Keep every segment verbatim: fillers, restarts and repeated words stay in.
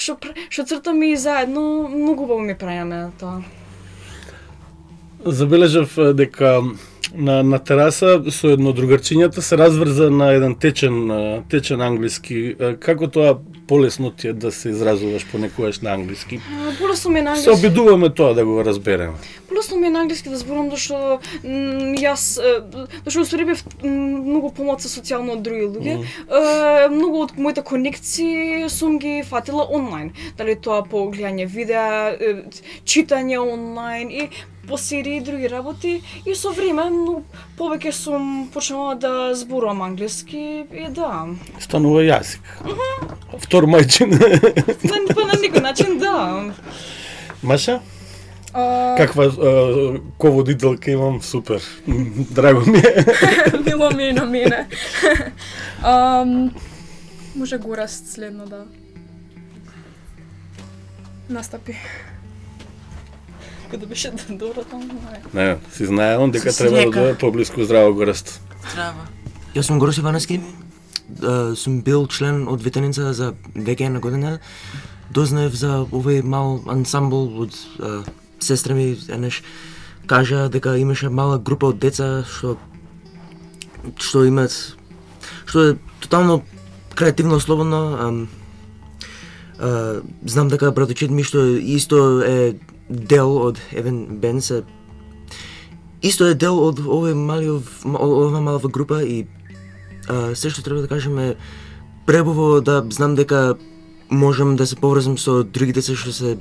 што што цртаме и заедно, многу убаво ми прајаме тоа. Забележав дека на на тераса со едно другарчињата се разврза на еден течен течен англиски. Како тоа полесно ти е да се изразуваш понекогаш на англиски? Полесно ми е на англиски. Се обидуваме тоа да го разбереме. Полесно ми е на англиски да зборам, зашто јас зашто устари бев многу помалку социјално од други луѓе. Mm. Многу од моите конекции сум ги фатила онлайн. Дали тоа по гледање видеа, читање онлайн и по серии и други работи, и со време но повеќе сум почнала да зборувам англиски и да. Станува јазик. Mm -hmm. Втор мајчин. На, па на некој начин да. Маша? Uh... Каква uh, ководителка имам, супер. Драго ми е. Мило ми е на мене. um, може Гораст следно да настапи. Кога беше добро таму. Не, си знае он дека треба да е поблиску. Здраво, Гораст. Здраво. Јас сум Гораст Иваневски. Uh, сум бил член од ветеница за веќе една година. Дознаев за овој мал ансамбл од uh, сестра ми, еднаш кажа дека имаше мала група од деца што што имаат што е тотално креативно, слободно. Um, uh, знам дека браточет ми што исто е дел од Евен Бен се исто е дел од овој малиов ова малава група и uh, се што треба да кажем е пребово да знам дека можам да се поврзам со други деца што се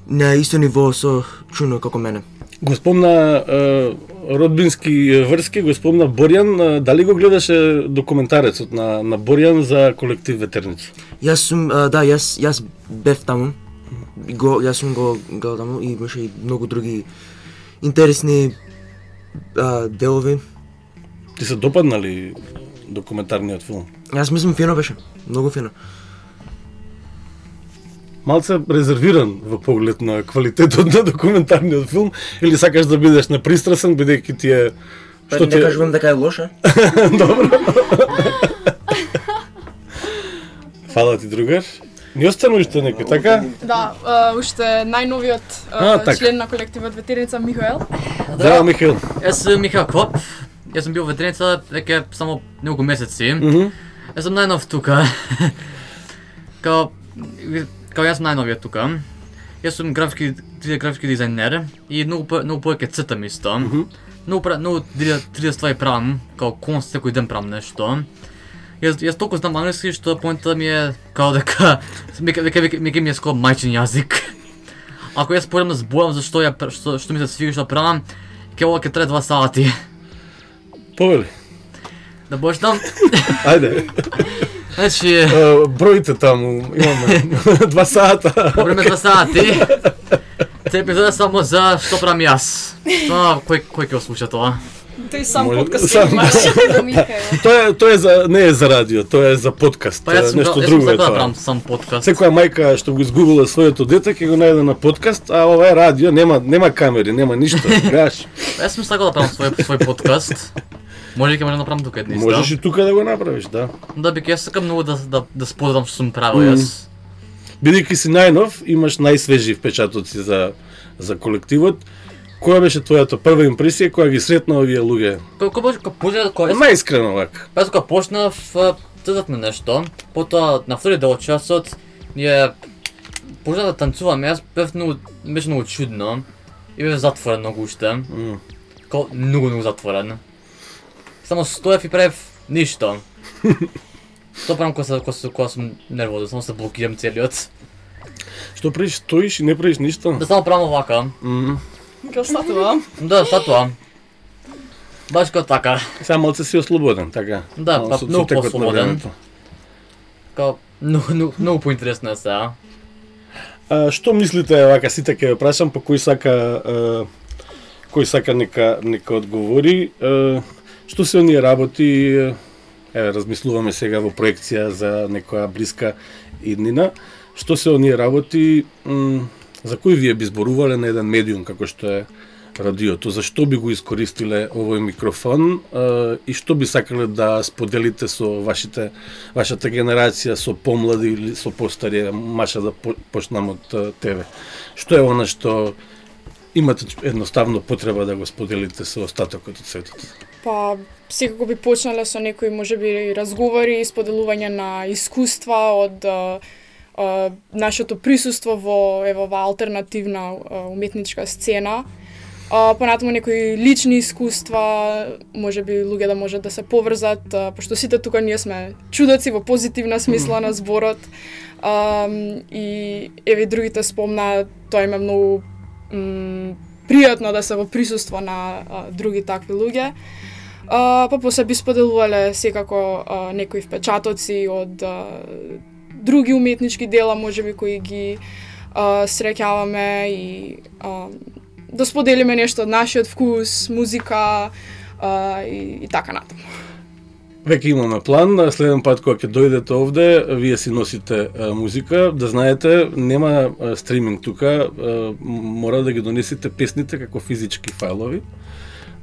на исто ниво со Чуно како мене. Го спомна е, родбински врски, го спомна Борјан. Дали го гледаше документарецот на на Борјан за колектив Ветерници? Јас сум а, да, јас јас бев таму. Го јас сум го гледал таму и имаше и многу други интересни а, делови. Ти се допаднали документарниот филм? Јас мислам фино беше, многу фино. Малце резервиран во поглед на квалитетот на документарниот филм, или сакаш да бидеш непристрасен бидејќи ти е што ти не кажувам дека е лоша. Добро. Фала ти, другар. Ни остана уште некој, така? Да, uh, уште најновиот uh, а, член на колективот Ветерница Михаел. Здраво, Михаел. Јас сум Михаел Коп. Јас сум бил ветерница веќе само неколку месеци. Mm -hmm. Јас сум најнов тука. Као Као јас сум најновиот тука. Јас сум графски графски дизајнер и многу многу повеќе цртам исто. Mm -hmm. Многу многу три Д ствари правам, као конст секој ден правам нешто. Јас јас толку знам англиски што поентата ми е као дека веќе веќе веќе ми е скоро мајчин јазик. Ако јас почнам да зборам зашто ја што што ми се свига што правам, ќе ова ќе трае два сати. Повели. Да почнам. Ајде. Значи, uh, броите таму имаме два сата. Време два сати. Те епизода само за што правам јас. Тоа кој кој ќе слуша тоа? Тој сам Може, подкаст сам, имаш. Тоа е тоа е за не е за радио, тоа е за подкаст. Па јас нешто јас друго е да тоа. правам сам подкаст. Секоја мајка што го изгубила своето дете ќе го најде на подкаст, а ова е радио, нема нема камери, нема ништо. Гаш. Јас сум сакал да правам свој свој подкаст. Може ќе можам да направам тука еднис, да? Можеш и тука да го направиш, да. Да, бик јас сакам многу да да да споделам што сум правил јас. Бидејќи си најнов, имаш најсвежи впечатоци за за колективот. Која беше твојата прва импресија кога ги сретна овие луѓе? Кој кој кога почнав кога најискрено вака. Па кога почнав цртавме нешто, потоа на втори дел од часот ние почнав да танцуваме, јас бев многу беше многу чудно и бев затворен многу уште. Mm. Као многу многу затворен. Само стоев и правев ништо. Тоа правам кога кога кога сум нервозен, само се блокирам целиот. Што правиш, стоиш и не правиш ништо? Да само правам овака. Mm. Ка статува? Да, статува. Баш како така. Сега малце си ослободен, така? Да, па многу послободен. Као многу многу многу поинтересно е сега. А што мислите вака сите ќе ве прашам, по кој сака а, кој сака нека нека одговори. А, што се оние работи? Еве размислуваме сега во проекција за некоја блиска иднина. Што се оние работи м, за кои вие би зборувале на еден медиум како што е радиото. Зашто би го искористиле овој микрофон е, и што би сакале да споделите со вашите вашата генерација, со помлади или со постари? Маша, да почнам од тебе. Што е она што имате едноставно потреба да го споделите со остатокот од светот? Па, секако би почнале со некои можеби разговори и споделување на искуства од а, а, нашето присуство во ево ова алтернативна а, уметничка сцена. А, понатаму некои лични искуства, можеби луѓе да можат да се поврзат, а, пошто сите тука ние сме чудоци во позитивна смисла на зборот. А, и еве другите спомна, тоа им е многу м, пријатно да се во присуство на а, други такви луѓе. А, па после би споделувале секако а, некои впечатоци од а, други уметнички дела, можеби кои ги а, среќаваме и а, да споделиме нешто од нашиот вкус, музика а, и, и така натаму. Веќе имаме план, следен пат кога ќе дојдете овде, вие си носите а, музика, да знаете, нема а, стриминг тука, а, мора да ги донесете песните како физички фајлови.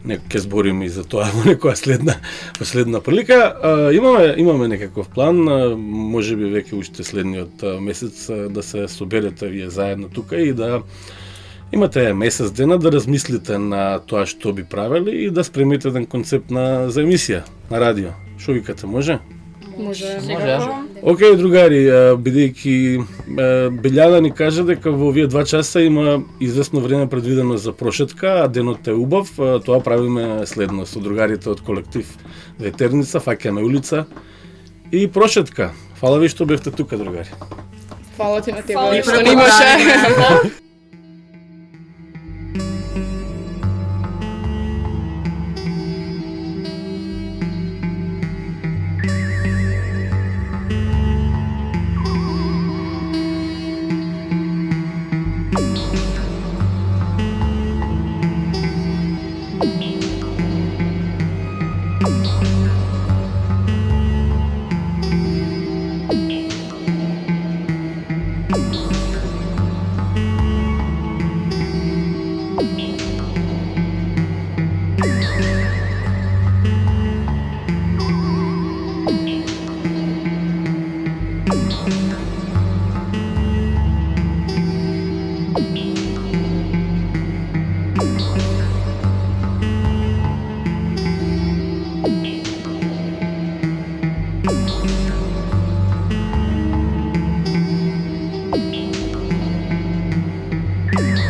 Некој ќе збориме и за тоа во некоја следна последна прилика. А, имаме имаме некаков план, а, можеби веќе уште следниот а, месец а, да се соберете вие заедно тука и да имате месец дена да размислите на тоа што би правели и да спремите еден концепт на за емисија на радио. Што викате, може? Може. Може. Океј, другари, бидејќи Белјана ни кажа дека во овие два часа има известно време предвидено за прошетка, а денот е убав, тоа правиме следно со другарите од колектив Ветерница, фаќаме улица и прошетка. Фала ви што бевте тука, другари. Фала ти на тебе, Фала што не имаше. Thank you.